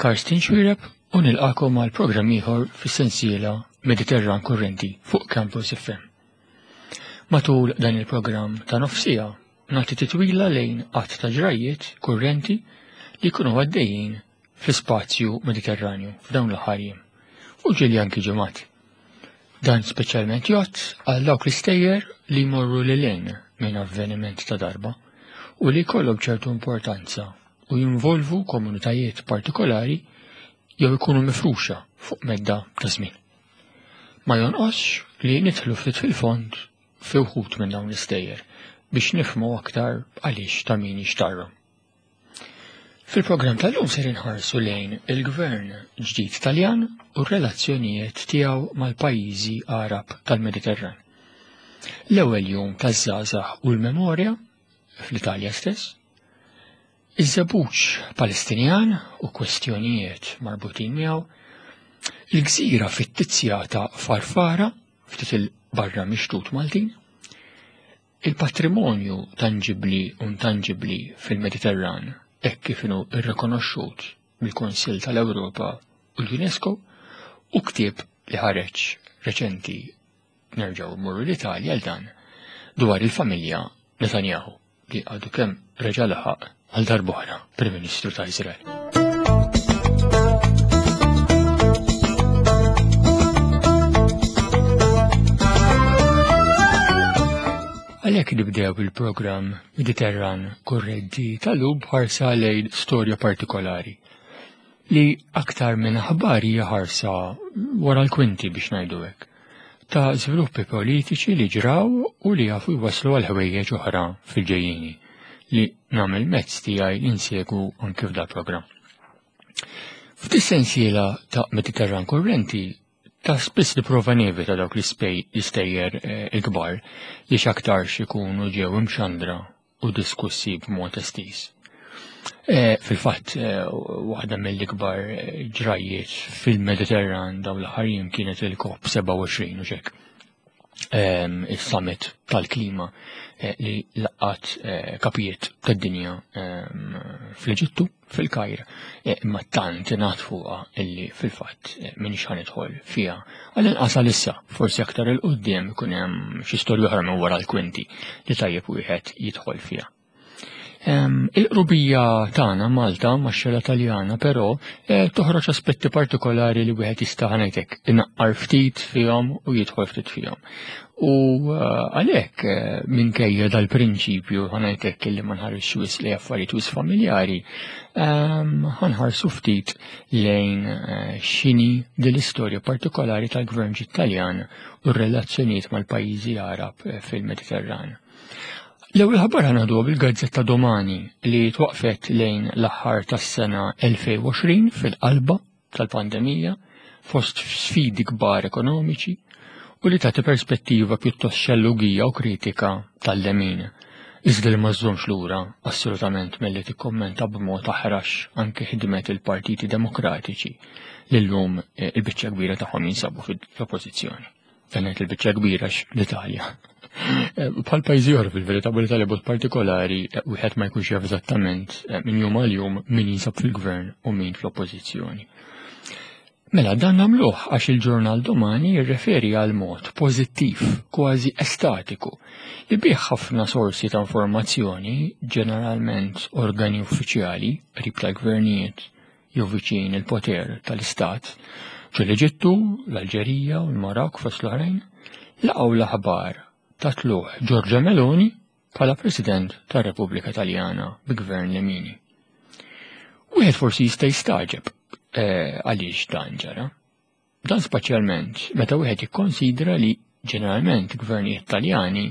Karsten Xuereb u nilqakom għal programm ieħor fis-sensiela Mediterran Kurrenti fuq Campus FM. Matul dan il-programm ta' nofsija nagħti titwila lejn qatt ta' ġrajjiet kurrenti li jkunu għaddejjin fl-ispazju Mediterranju f'dawn l-aħħar jiem u ġieli anki ġimgħat. Dan speċjalment jgħodd għal dawk l-istejjer li jmorru lil hinn minn avveniment ta' darba u li jkollhom ċertu importanza u jinvolvu komunitajiet partikolari jew ikunu mifruxa fuq medda ta' żmien. Ma jonqosx li nidħlu ftit fil-fond fi wħud minn dawn l-istejjer biex nifhmu aktar għaliex ta' min jixtarrhom. Fil-programm tal-lum ser inħarsu lejn il-gvern ġdid Taljan u r-relazzjonijiet tiegħu mal-pajjiżi Għarab tal-Mediterran. L-ewwel jum taż-żgħażagħ u l-memorja fl-Italja stess, iż-żebbuġ Palestinjan u kwestjonijiet marbutin miegħu, il-gżira fittizja ta' Farfara ftit il-barra mix-xtut Maltin, Il-patrimonju tanġibbli u intanġibbli fil-Mediterran hekk kif inhu rrikonoxxut mill-Kunsill tal-Ewropa u l-UNESCO u ktieb li ħareġ reċenti nerġgħu mmorru l-Italja għal dan dwar il-familja Netanyahu li għadu kemm reġa' laħaq għal darb'oħra Prim Ministru ta' Iżrael. Għalhekk nibdew il-programm Mediterran Kurrenti tal-lum b'ħarsa lejn storja partikolari li aktar minn aħbar hija ħarsa wara l-kwinti biex ngħidu hekk ta' żviluppi politiċi li ġraw u li jafu jwasslu għal ħwejjeġ oħra fil-ġejjieni li nagħmel mezz tiegħi li nsegwu anke f'dal programm. F'dis-sensiela ta' Mediterran Kurrenti ta' spiss nipprova nevita dawk l-istejjer eh, il-kbar li x'aktarx ikunu ġew imxandra u diskussi b'mod estiż. Eh, fil-fatt, eh, waħda mill-ikbar ġrajjiet fil-Mediterran dawn l-aħħar jiem kienet il-COP 27 u xek. Ehm, il-summit tal-klima eh, li laqat eh, kapijiet tad-dinja ehm, fl-Eġittu, fil-Kajr, eh, imma tant ingħad fuqha illi fil-fatt minix ħanidħol fiha. Għall-inqas għalissa, forsi aktar il-qudiem ikun hemm xi storja oħra minn wara l-kwinti li tajjeb wieħed jidħol fiha. Il-qrubija tagħna Malta max-xela Taljana però eh, toħroġ aspetti partikolari li wieħed jista' ngħidlek inaqqar ftit fihom u jidħol ftit fihom. U eh, għalhekk eh, minkejja dal-prinċipju ħanajtek li ma nħarisx wis li affarijiet wis familjari, ehm, ħanħarsu ftit lejn x'inhi din l-istorja partikolari tal-Gvern Taljan u r-relazzjonijiet mal-pajjiżi Arab fil-Mediterran. L-ewwel ħabar ħanaħduha bil-gazzetta Domani li twaqfet lejn l-aħħar tas-sena 2020 fil-qalba tal-pandemija fost sfidi kbar ekonomiċi u li tagħti perspettiva pjuttost xellugija u kritika tal-lemin. Iżda li ma żżommx lura assolutament milli tikkommenta b'mod aħrax anke ħidmet il-partiti demokratiċi li llum eh, il-biċċa kbira tagħhom jinsabu fl-oppożizzjoni. Dan ngħid il-biċċa kbira l-Italja. Eh, bħal pajjiżi oħra fil-verità, l-Italja b'mod partikolari eh, wieħed ma jkunx jaf eżattament eh, minn jum għal jum min jinsab fil-gvern u min fl-oppożizzjoni. Mela dan nagħmluh għax il-ġurnal Domani jirreferi għal mod pożittiv, kważi estatiku, li bih ħafna sorsi ta' informazzjoni, ġeneralment organi uffiċjali, qrib tal-gvernijiet, jew viċin il-poter tal-istat, ġo l-Eġittu, l-Alġerija u l-Marokk fost l-oħrajn, laqgħu l-aħbar ta' tlugħ Giorgia Meloni bħala President tar-Repubblika Taljana bi gvern lemini. Wieħed forsi jista' jistagħġeb eh, għaliex dan ġara. Dan spaċjalment meta wieħed jikkonsidra li ġeneralment gvernijiet Taljani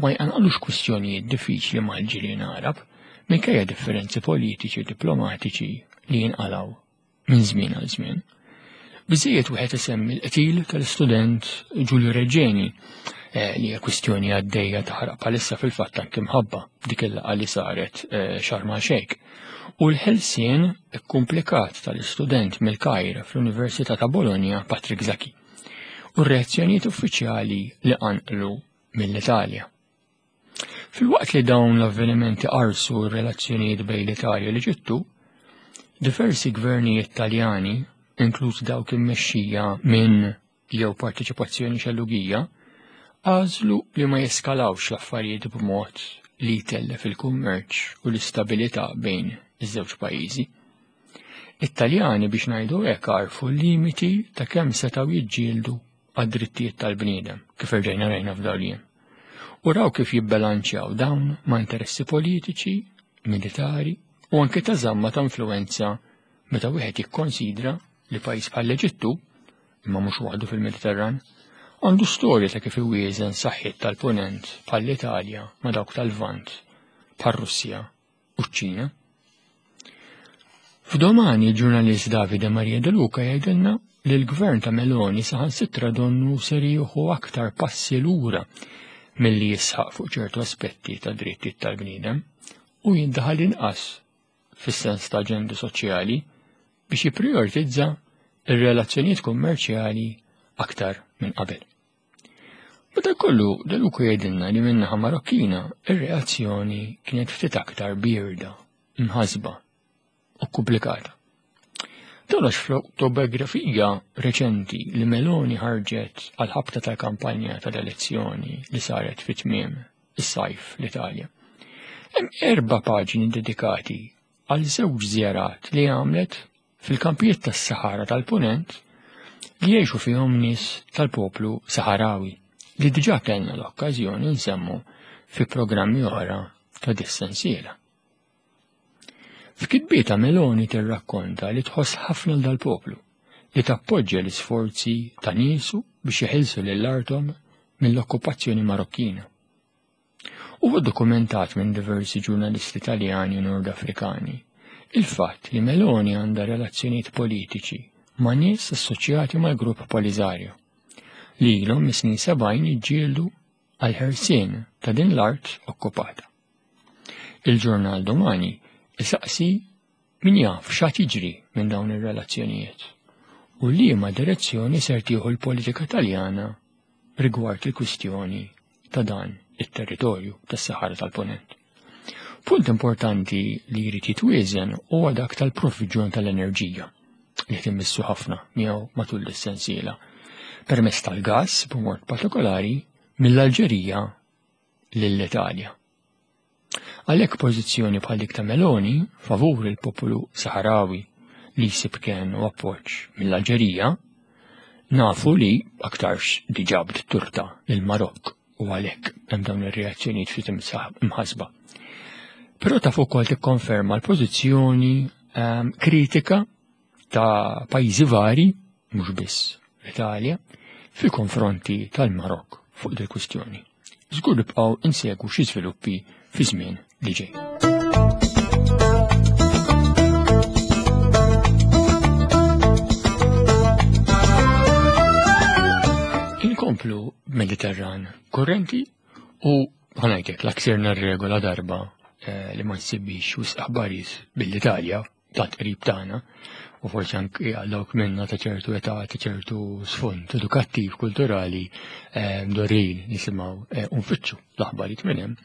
ma jqanqlux kwistjonijiet diffiċli mal-ġirien Għarab minkejja differenzi politiċi u diplomatiċi li jinqalgħu minn żmien għal żmien. Biżejjed wieħed isemmi l-qtil tal-istudent Giulio Reġeni eh, li hija kwistjoni għaddejja taħraq bħalissa fil-fatt anke mħabba dik il-laqgħa li saret eh, Sharm el-Sheikh u l-ħelsien ikkumplikat tal-istudent mill-Kajr fl-Università ta' Bologna Patrick Zaki u r-reazzjonijiet uffiċjali li qanqlu mill-Italja. Filwaqt li dawn l-avvenimenti qarsu r-relazzjonijiet bejn l-Italja u l-Eġittu, Diversi gvernijiet Taljani, inkluż dawk immexxija minn jew parteċipazzjoni xellugija, għażlu li ma jeskalawx l-affarijiet b'mod li jtellef il-kummerċ u l-istabilità bejn iż-żewġ pajjiżi. It-Taljani biex ngħidu hekk għarfu l-limiti ta' kemm setgħu jiġġieldu għad-drittijiet tal-bniedem, kif erġajna rajna f'dawn U raw kif jibbilanċjaw dawn ma' interessi politiċi, militari u anke ta' żamma ta' influenza meta wieħed jikkonsidra li pajjiż bħall-Eġittu, imma mhux waħdu fil-Mediterran, għandu storja ta' kif iwieżen saħħiet tal-Punent bħall-Italja ma' dawk tal-Lvant bħar-Russja u ċ-Ċina. F'Domani il-ġurnalist Davide Maria De Luca jgħidilna li l-gvern ta' Meloni saħansitra donnu ser jieħu aktar passi lura milli jisħaq fuq ċertu aspetti ta' drittijiet tal-bniedem u jindaħal inqas fis-sens ta' aġendi soċjali biex jipprijoritizza ir-relazzjonijiet kummerċjali aktar minn qabel. Madankollu, De Luca jgħidilna li min-naħa Marokkina ir-reazzjoni kienet ftit aktar bierda, mħassba u kkumplikata. Dan għax fl-awtobiografija reċenti li Meloni ħarġet għall-ħabta tal-kampanja tal-elezzjoni li saret fi tmiem is-sajf l-Italja. Hemm erba' paġni dedikati għal żewġ żjarat li għamlet fil-kampijiet tas-Saħara tal-Punent li jgħixu fihom nies tal-poplu Saħarawi li diġà kellna l-okkażjoni nsemmu fi programmi oħra ta' dis-sensiela. F'kitbietha Meloni tirrakkonta li tħoss ħafna l dal-poplu li tappoġġja l-isforzi ta' niesu biex jeħilsu lil arthom mill-okkupazzjoni Marokkina. Huwa dokumentat minn diversi ġurnalisti Taljani u Nord Afrikani il-fatt li Meloni għandha relazzjonijiet politiċi ma' nies assoċjati mal-grupp Polisario li ilhom mis-snin 70 jiġġieldu għall-ħelsien ta' din l-art okkupata. Il-ġurnal Domani isaqsi min jaf x'għad jiġri minn dawn ir-relazzjonijiet u liema direzzjoni ser tieħu l-politika Taljana rigward il-kwistjoni ta' dan it-territorju tas-Saħara tal-Punent. Punt importanti li jrid jitwieżen huwa dak tal-provviġjon tal-enerġija li qed immissu ħafna miegħu matul is-sensiela permezz tal-gass b'mod partikolari mill-Alġerija lill-Italja. Għalhekk pożizzjoni bħal dik ta' Meloni favur il-popolu Saħarawi li jsib kenn u appoġġ mill-Alġerija, nafu li aktarx diġà bdiet turta lill-Marokk u għalhekk hemm dawn ir-reazzjonijiet ftit imħassba. Però taf ukoll tikkonferma l-pożizzjoni kritika ta' pajjiżi vari, mhux biss l-Italja, fil-konfronti tal-Marokk fuq dil kwistjoni. Żgur nibqgħu insegwu xi żviluppi fi żmien li ġej. Inkomplu Mediterran kurrenti u ħanajtek la ksirna r-regola darba eh, li ma nsibix wisq aħbarijiet bil-Italja tant qrib tagħna u forsi anki għal dawk minna ta' ċertu età, ta' ċertu sfond edukattiv, kulturali, eh, mdorrin nisimgħu eh, u nfittxu l-aħbarijiet minn hemm.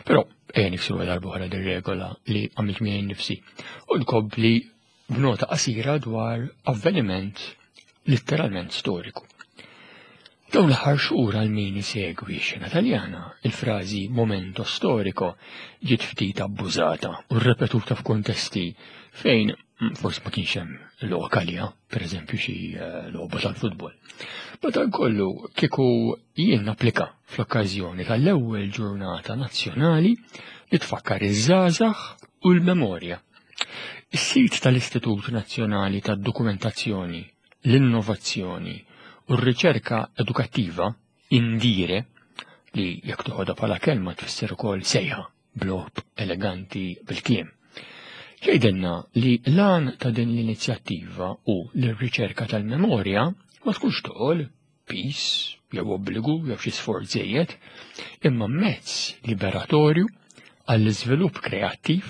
Però ejja niksru darba oħra dir-regola li għamilt miegħi nnifsi u nkompli b'nota qasira dwar avveniment letteralment storiku. Dawn l-aħħar xhur għal min isegwi x-xena Taljana, il-frażi momento storico ġiet ftit abbużata u rrepetuta f'kuntesti fejn forsi ma kienx hemm lok għaliha, pereżempju xi eh, logħba tal-futbol. Madankollu kieku jien napplika fl-okkażjoni tal-ewwel ġurnata nazzjonali li tfakkar iż-żgħażagħ u l-memorja. Is-sit tal-Istitut Nazzjonali tad-Dokumentazzjoni l-innovazzjoni u r-riċerka edukattiva, INDIRE, li jekk toħodha bħala kelma tfisser ukoll sejħa b'logħob eleganti bil-kliem. Jgħidilna li l-għan ta' din l-inizjattiva hu li r-riċerka tal-memorja ma tkunx toqol, piż jew obbligu jew xi sforz żejjed, imma mezz liberatorju għall-iżvilupp kreattiv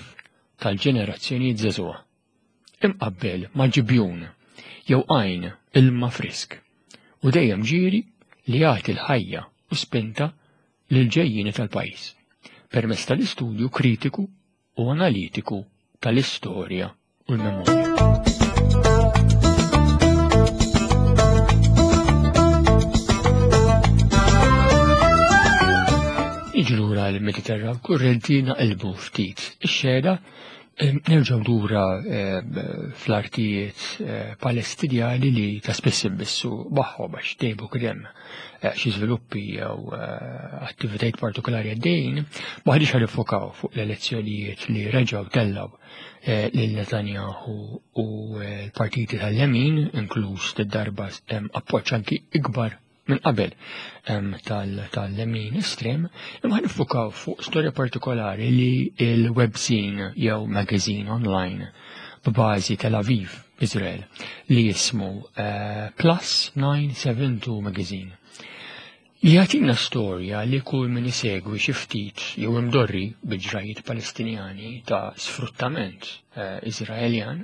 tal-ġenerazzjonijiet żagħżugħa. imqabbel ma' ġibjun jew għajn ilma frisk u dejjem ġieri li jagħti l-ħajja u spinta lill-ġejjieni tal-pajjiż permezz tal-istudju kritiku u analitiku tal-istorja u l-memorja. Niġu lura l-Mediterran kurrenti naqilbu ftit ix-xena, nerġgħu lura fl-artijiet Palestinjani li ta' spiss imbissu magħhom għax dejjem kien hemm xi żviluppi jew attivitajiet partikolari għaddejjin, maħniex ħa nifokaw fuq l-elezzjonijiet li reġgħu tellgħu lil Netanyahu u l-partiti tal-lemin, inkluż darba appoġġ anki ikbar minn qabel tal-lemin estrem, imma nifukaw fuq storja partikolari li il-webzine jew magazine online b'bażi Tel Aviv, Israel, li jismu Plus 972 Magazine. Jagħtina storja li kull min isegwi xi ftit jew imdorri bil-ġrajiet Palestinjani ta' sfruttament Iżraeljan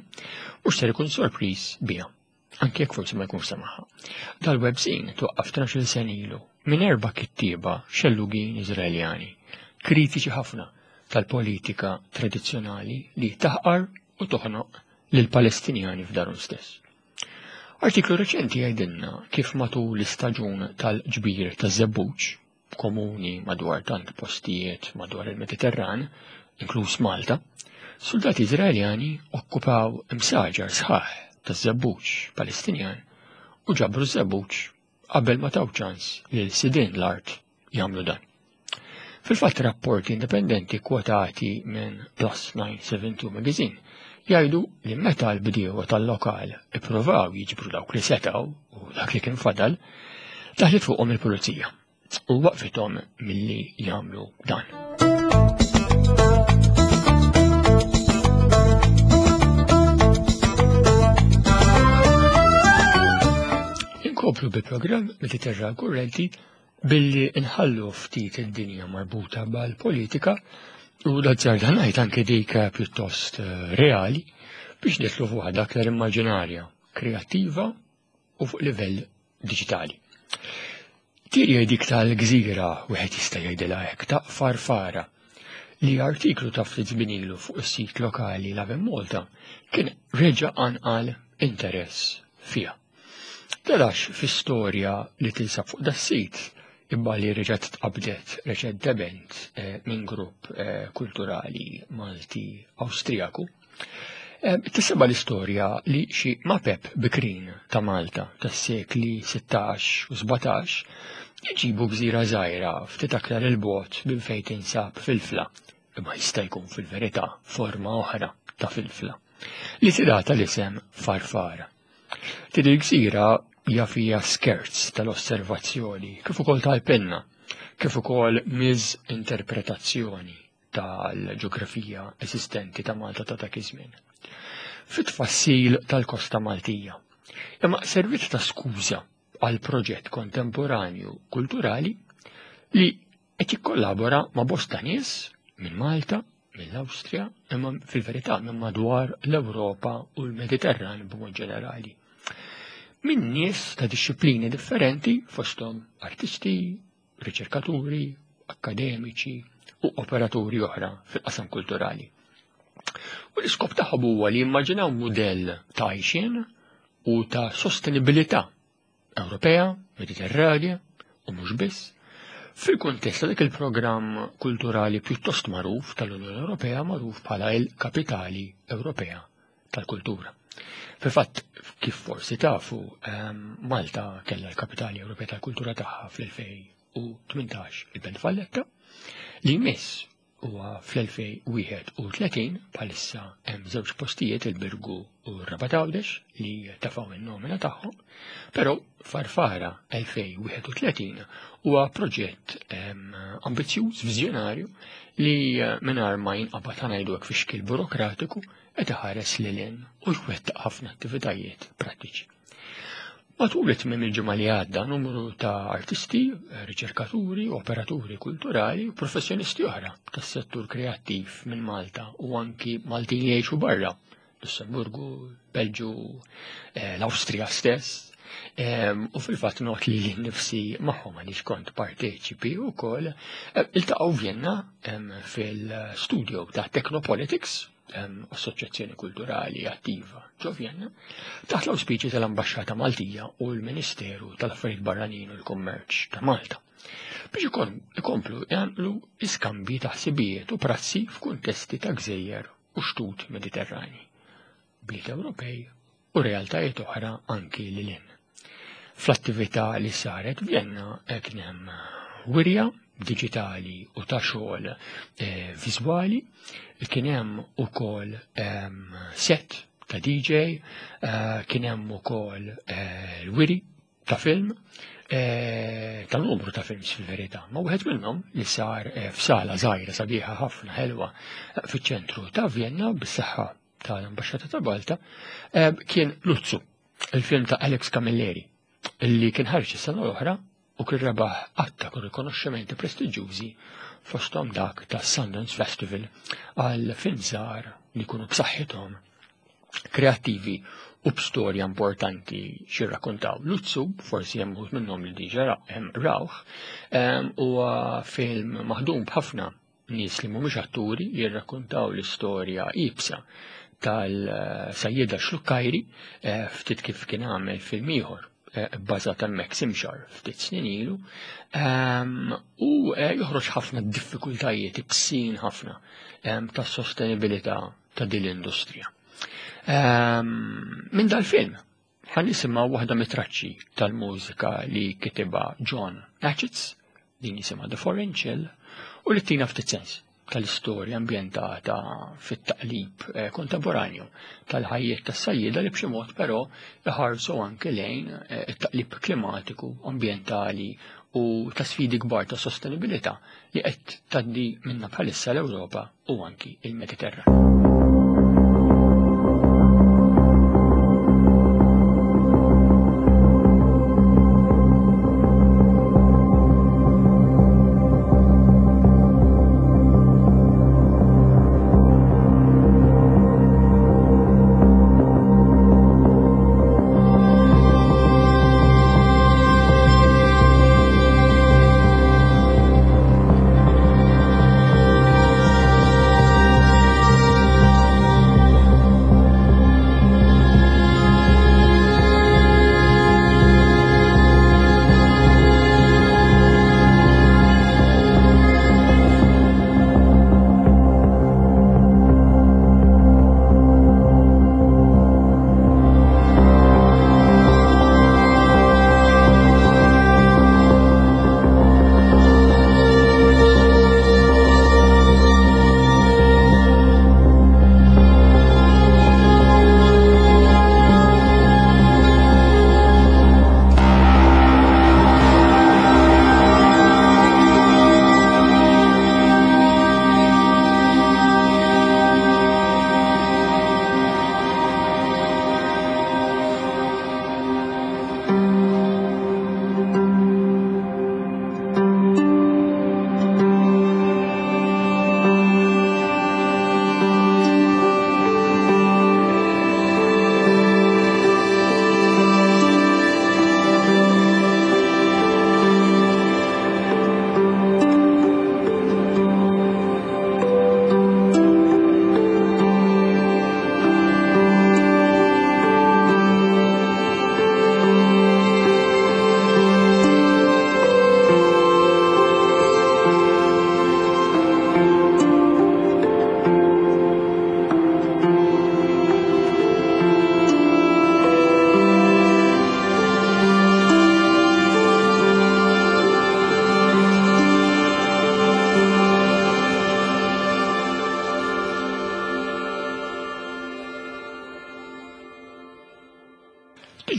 mhux ser ikun sorpriż biha, anke jekk forsi ma jkunx semaħha. Dal-webzine twaqqaf 12 sena ilu minn 4 kittieba xellugin Iżraeljani, kritiċi ħafna tal-politika tradizzjonali li taħqar u toħnoq lill-Palestinjani f'darhom stess. Artiklu reċenti jgħidilna kif matul l-istaġun tal-ġbir taż-żebbuġ, komuni madwar tant postijiet madwar il-Mediterran, inkluż Malta, soldati Iżraeljani okkupaw imsaġar sħaħ taż-żebbuġ Palestinjan u ġabru żebbuġ qabel ma taw ċans lil sidien l-art jagħmlu dan. Fil-fatt rapporti indipendenti kwotati minn Plus 972 Magazine jgħidu li meta l-bdiewa tal-lokal ippruvaw jiġbru dawk li setgħu u dak li kien fadal, daħlet fuqhom il-pulizija u waqfithom milli jagħmlu dan. Inkomplu bil-programm Mediterran Kurrenti billi nħallu ftit id-dinja marbuta mal-politika u l-azzarda ngħid anke dik pjuttost reali biex nitlu fuq waħda aktar immaġinarja, kreattiva u fuq livell diġitali. Tiri dik tal-gżira wieħed jista' jgħidilha hekk ta' Farfara li artiklu ta' ftit żmien ilu fuq is-sit lokali Lovin Malta kien reġa' qanqal interess fiha. Telax fi storja li tinsab fuq das-sit imma li reġgħet tqabdet reċentement minn grupp kulturali Malti Awstrijaku. Tisema l-istorja li xi mapep bikrin ta' Malta tas-sekli 16 u 17 jġibu gżira żgħira ftit aktar il-bogħod minn fejn tinsab Filfla, imma jista' jkun fil-verità forma oħra ta' Filfla, li tingħata l-isem Farfara. Din il-gżira hija fija skerz tal-osservazzjoni, kif ukoll tal-penna, kif ukoll miżinterpretazzjoni tal-ġeografija eżistenti ta' Malta ta' dak iż-żmien. Fit-tfassil tal-Kosta Maltija. Imma servizz ta' skuża għal proġett kontemporanju kulturali li qed jikkollabora ma' bosta nies minn Malta, mill-Awstrija, imma fil-verità minn madwar l-Ewropa u l-Mediterran b'mod ġenerali. Minn nies ta' dixxiplini differenti fosthom artisti, riċerkaturi, akkademiċi u operaturi oħra fil-qasam kulturali. U l-iskop tagħhom huwa li jimmaġinaw mudell ta' għajxien u ta' sostenibilità Ewropea, Mediterranja u mhux biss, fil-kuntest ta' dak il-programm kulturali pjuttost magħruf tal-Unjoni Ewropea magħruf bħala il-Kapitali Ewropea tal-Kultura. Fil-fatt, kif forsi tafu, Malta kellha l-Kapitali Ewropea tal-Kultura tagħha fl-2018 il-Belt Valletta, li jmiss huwa fl-2031 bħalissa hemm żewġ postijiet il-Birgu u r-Rabat Għawdex li tafgħu in-nomina tagħhom, però Farfara 2031 huwa proġett ambizzjuż, viżjonarju li mingħajr ma jinqabad ngħidu hekk fi xkil burokratiku qed iħares lil hinn u jwettaq ħafna attivitajiet prattiċi. Matul it-tmiem il-ġimgħa li għadda numru ta' artisti, riċerkaturi, operaturi kulturali u professjonisti oħra tas-settur kreattiv minn Malta u anki Maltin li jgħixu barra, Lussemburgu, Belġu, l-Awstrija stess. U fil-fatt not li nnifsi magħhom għaliex kont parteċipi wkoll, iltaqgħu Vienna fil-studio ta' Technopolitics. assoċjazzjoni kulturali attiva ġo Vjenna, taħt l-awspiċi tal-Ambaxxata Maltija u l-Ministeru tal-Affarijiet Barranin u l-Kummerċ ta' Malta biex ikomplu jagħmlu iskambji ta' ħsibijiet u prassi f'kuntesti ta' gżejjer u xtut Mediterrani, bliet Ewropej u realtajiet oħra anki lil hinn. Fl-attività li saret Vjenna kien hemm wirja diġitali u ta' xogħol eh, viżwali, kien hemm ukoll ehm, set ta' DJ, eh, kien hemm ukoll eh, l-wiri ta' film, ta' numru ta' films fil-verità, ma' wieħed minnhom li sar f'sala żgħira sabiħa ħafna ħelwa fiċ-ċentru ta' Vienna bis-saħħa tal-Ambaxxata ta' Malta kien Luzzu, il-film ta' Alex Camilleri, li kien ħarġ is-sena l-oħra u kien rebaħ għadd ta' rikonoxximenti prestiġjużi fosthom dak ta' Sundance Festival għal film żgħar li jkunu b'saħħithom, kreattivi u b'storja importanti xirrakkontaw. Luzzu, forsi hemm uħud minnhom li diġà rawh, huwa film maħdum b'ħafna Nies li mhumiex atturi jirrakkontaw l-istorja iebsa tal-sajjieda Xlukkajri eh, ftit kif kien għamel film ieħor eh, bbażat hemmhekk Simxar ftit snin ilu ehm, u eh, joħroġ ħafna diffikultajiet ibsin ħafna ehm, tas-sostenibilità ta' din l-industrija. Ehm, minn dal-film ħa nisimgħu waħda mit-traċċi tal-mużika li kitibha John Natchez, din jisimha The Foreign Chill, u li tina ftit sens tal-istorja ambjentata fit-taqlib eh, kontemporanju tal-ħajjiet tas-sajjieda li b'xi mod però iħarsu anke lejn eh, it-taqlib klimatiku, ambjentali u ta' sfidi kbar ta' sostenibilità li qed tgħaddi minna bħalissa l-Ewropa u anki il-Mediterran.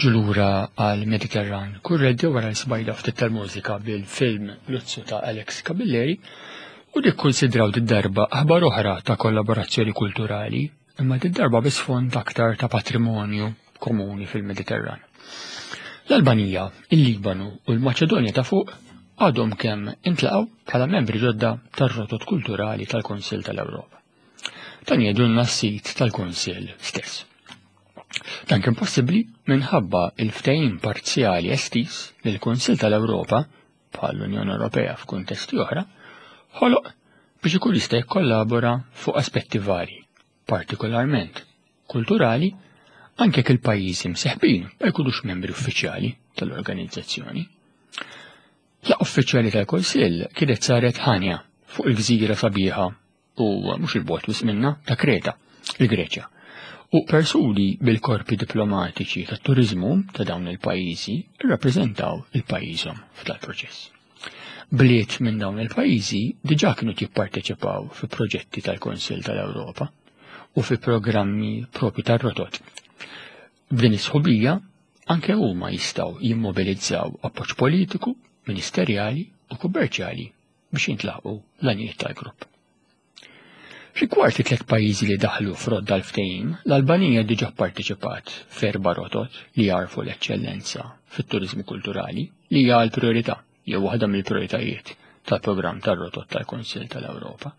Niġu lura għal Mediterran Kurreddi wara l-sbajda ftit tal-mużika bil-film Luzzu ta' Alex Camilleri u nikkonsidraw darba aħbar oħra ta' kollaborazzjoni kulturali imma darba bi sfond aktar ta' patrimonju komuni fil-Mediterran. L-Albanija, il-Libanu u l-Maċedonja ta' fuq għadhom kemm intlaqgħu bħala membri ġodda tar-rotot kulturali tal-Kunsill tal-Ewropa. Dan jgħidulna s-sit tal-Kunsill stess. Dan kien possibbli minħabba il-ftehim parzjali estiż li l-Kunsill tal-Ewropa, bħal l-Unjoni Ewropea f'kuntesti oħra, ħoloq biex ikun jista' jikkollabora fuq aspetti varji. partikolarment kulturali, anke jekk il-pajjiżi mseħbin ma jkunux membri uffiċjali tal-organizzazzjoni. Laqgħa uffiċjali tal-Kunsill kienet saret Ħanja fuq il-gżira sabiħa u mhux il-bogħod wisq minnha ta' Kreta, il-Greċja. U persuni bil-korpi diplomatiċi tat-turiżmu ta' dawn il-pajjiżi rrappreżentaw il-pajjiżhom f'dal-proċess. Bliet minn dawn il-pajjiżi diġà kienu jipparteċipaw fi proġetti tal-Kunsill tal-Ewropa u fi programmi propri tar-rotot. B'din is-sħubija anke huma jistgħu jimmobilizzaw appoġġ politiku, ministerjali u kummerċjali biex jintlaħqu l-għanijiet tal-grupp. Rigward it-tlet pajjiżi li daħlu f'rodda l-ftehim, l-Albanija diġà pparteċipat f'erba' rotot li jagħrfu l-eċċellenza fit-turiżmu kulturali li hija l-prijorità jew waħda mill-prijoritajiet tal-programm tar-rotot tal-Kunsill tal-Ewropa.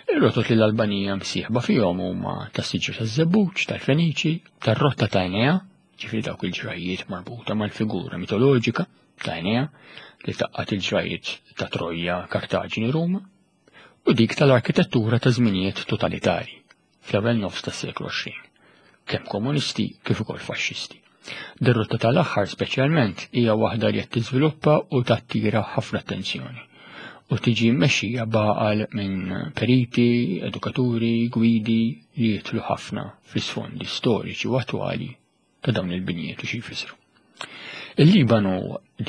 Ir-rotot li l-Albanija msieħba fihom huma tas-siġra taż-żebbuġ, tal-Feniċi, tar-rotta ta' Enea, ġifieri dawk il-ġrajjiet marbuta mal-figura mitoloġika ta' Enea li taqqat il-ġrajjiet ta' Trojja, Kartaġini, Ruma, u dik tal-arkitettura ta' żminijiet totalitari fl-ewwel nofs tas-seklu 20, kemm komunisti kif ukoll faxxisti. Dir-rotta tal-aħħar speċjalment hija waħda li qed tiżviluppa u tattira ħafna attenzjoni u tiġi mmexxija b'għaqal minn periti, edukaturi, gwidi li jidħlu ħafna fl-isfondi storiċi u attwali ta' dawn il-binjiet u xi jfissru. Il-Libanu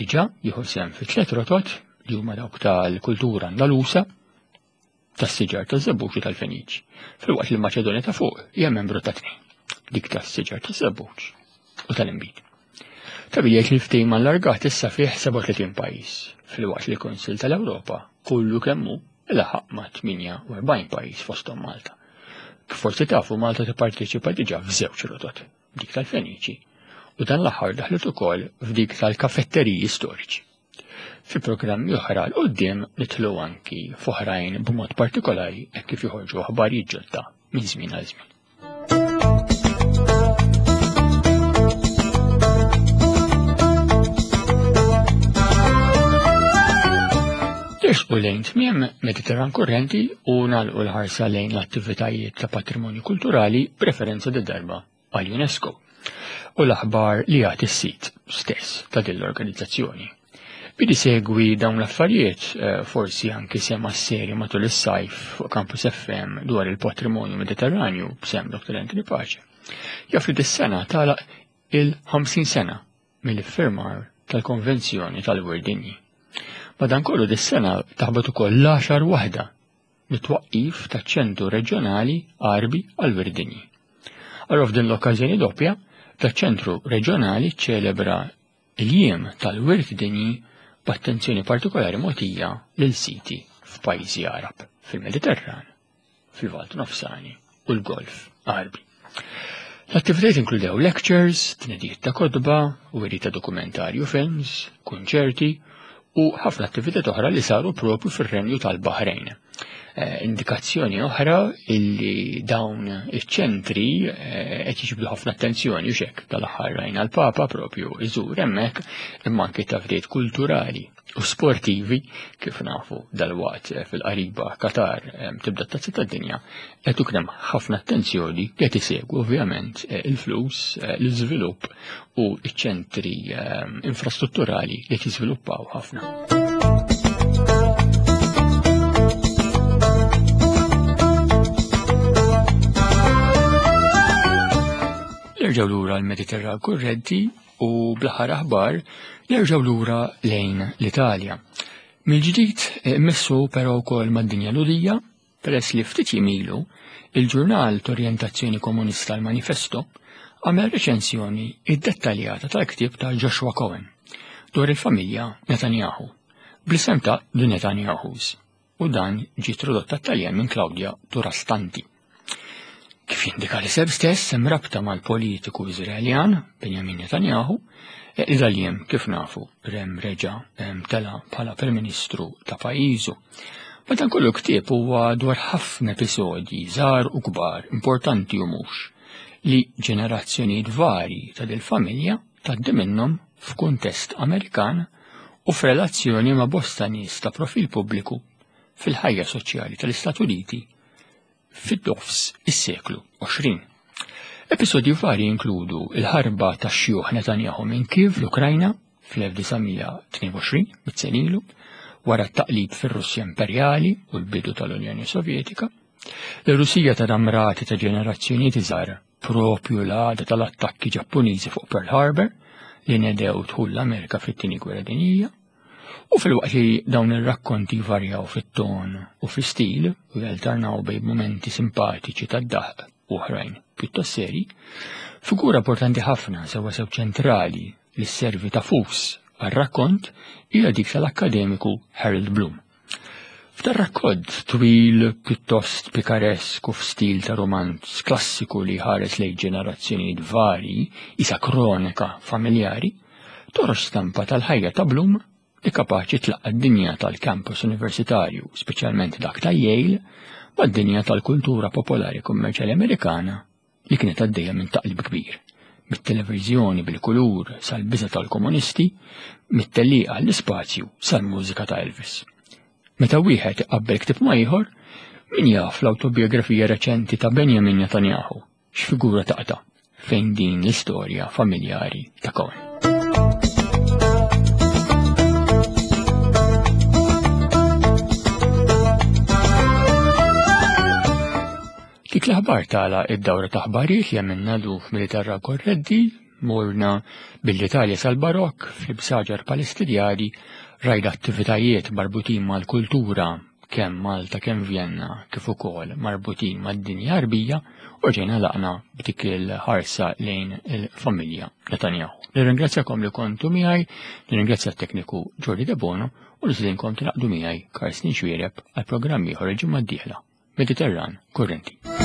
diġà jieħu sehem fi tliet rotot li huma dawk tal-kultura Andalusa, tas-siġar taż-żebbuġ u tal-Feniċ, filwaqt li l-Maċedonja ta' fuq hija membru ta' tnejn, dik tas-siġar taż-żebbuġ u tal-inbid. Ta' jgħid li l-ftehim allargat issa fih 37 pajjiż, filwaqt li l-Kunsill tal-Ewropa kollu kemm hu laħaq ma' 48 pajjiż fosthom Malta. Kif forsi tafu Malta tipparteċipa diġà f'żewġ rotot, dik tal-Feniċi u dan l-aħħar daħlet ukoll f'dik tal-kafetteriji storiċi. Fi programmi oħra 'l quddiem nidħlu anki f'oħrajn b'mod partikolari hekk kif joħorġu aħbarijiet ġodda minn żmien għal żmien. Nersqu lejn tmiem Mediterran Kurrenti u nagħlqu l-ħarsa lejn l-attivitajiet ta' patrimonju kulturali b'referenza darba għal UNESCO u l-aħbar li jagħti s-sit stess ta' din l-organizzazzjoni. Bidi segwi dawn l-affarijiet, eh, forsi anki sema s-serje matul is-sajf fuq Campus FM dwar il-patrimonju Mediterranju b'sem Dr. Anthony Pace. Jaf li dis-sena tagħlaq il-50 sena mill-iffirmar tal-Konvenzjoni tal-Wirt Dinji. Madankollu dis-sena taħbat ukoll l-għaxar waħda mit-twaqqif taċ-Ċentru Reġjonali Għarbi għall-Wirt Dinji. Allura f'din l-okkażjoni doppja, daċ-Ċentru Reġjonali ċċelebra l-Jiem tal-Wirt Dinji b'attenzjoni partikolari mogħtija lil siti f'pajjiżi Għarab fil-Mediterran fil-Lvant Nofsani u l-Golf Għarbi. L-attivitajiet inkludew lectures, tnedijiet ta' kotba, wiri ta' dokumentarju films, kunċerti u ħafna attivitajiet oħra li saru propju fir-Renju tal-Baħrejn. Eh, indikazzjoni oħra illi dawn iċ-ċentri eh, qed jiġbdu ħafna attenzjoni u xek tal-aħħar rajna l-Papa propju iżur hemmhekk imma anke tafdiet kulturali u sportivi kif nafu dalwaqt eh, fil-qariba Qatar eh, tibda t-tazza tad-dinja qed ikun hemm ħafna attenzjoni qed isegwu ovvjament eh, il-flus, l-iżvilupp u ċ-ċentri infrastrutturali li qed jiżviluppaw ħafna. Nerġgħu lura l-Mediterran kurrenti U bl-aħħar aħbar nerġgħu lura lejn l-Italja. Mill-ġdid eh, missu però wkoll mad-dinja Lhudija, peress li ftit jiem ilu il-ġurnal t'orjentazzjoni komunista l-Manifesto għamel reċensjoni iddettaljata tal-ktieb ta' Joshua Cohen dwar il-familja Netanyahu bl-isem ta' The Netanyahus u dan ġie tradott għat-Taljan minn Claudia Durastanti. Kif jindika l-isem stess hemm rabta mal-politiku Iżraeljan Benjamin Netanyahu e, li dal-jiem kif nafu rem reġa' tela bħala Prim Ministru ta' pajjiżu. Madankollu ktieb huwa dwar ħafna episodji żgħar u kbar, importanti u mhux, li ġenerazzjonijiet varji ta' dil-familja tgħaddi minnhom f'kuntest Amerikan u f'relazzjoni ma' bosta nies ta' profil pubbliku fil-ħajja soċjali tal-Istati Uniti. fid-dofs is-seklu 20. Episodji varji jinkludu il-ħarba tax-xjuħ Netanyahu minn Kiev l-Ukrajna fl-1922, mit ilu, wara t-taqlib fir-Russja Imperjali u l-bidu tal-Unjoni Sovjetika, l-Russija ta' damrati ta' ġenerazzjonijiet iżgħar propju l-għada tal-attakki Ġappuniżi fuq Pearl Harbor li nedew dħul l-Amerika fit-Tieni Gwerra Dinjija, u filwaqt li dawn ir-rakkonti varjaw fit-ton u fl-istil u jalternaw bejn mumenti simpatiċi tad-daħq u oħrajn pjuttost seri, figura importanti ħafna sewwa sew ċentrali li sservi ta' fus għar-rakkont hija dik tal-akkademiku Harold Bloom. F'dan rakkont twil pjuttost pikaresk u f'stil ta' romanz klassiku li jħares lejn ġenerazzjonijiet varji isa kronika familjari, toħroġ stampa tal-ħajja ta' Bloom li kapaċi tlaqqa' d-dinja tal-campus universitarju, speċjalment dak ta' Yale, mad-dinja tal-kultura popolari kummerċjali Amerikana li kienet għaddejja minn taqlib kbir, mit-televiżjoni bil-kulur sal-biża' tal-komunisti, mit-tellieqa għall-ispazju sal-mużika ta' Elvis. Meta wieħed iqabbel ktieb ma' ieħor, min jaf l-awtobiografija reċenti ta' Benjamin Netanyahu x'figura taqta' fejn din l-istorja familjari ta' Cohen. Dik l-aħbar tala id-dawra ta' aħbarijiet li għamilna luf Militerra Korreddi, morna bil-Italja sal-Barokk, fl-ibsaġar Palestinjani, rajna attivitajiet marbutin mal-kultura kemm Malta kemm Vjenna kif ukoll marbutin mad-dinja Għarbija u ġejna laqna b'dik il-ħarsa lejn il-familja Netanyahu. Nirringrazzjakom li kontu miegħi, nirringrazzja t-tekniku Jordi Debono u nisidinkom tingħaqdu miegħi Karsten Xwiereb għal programm ieħor il-ġimgħa d-dieħla. Mediterran Kurrenti.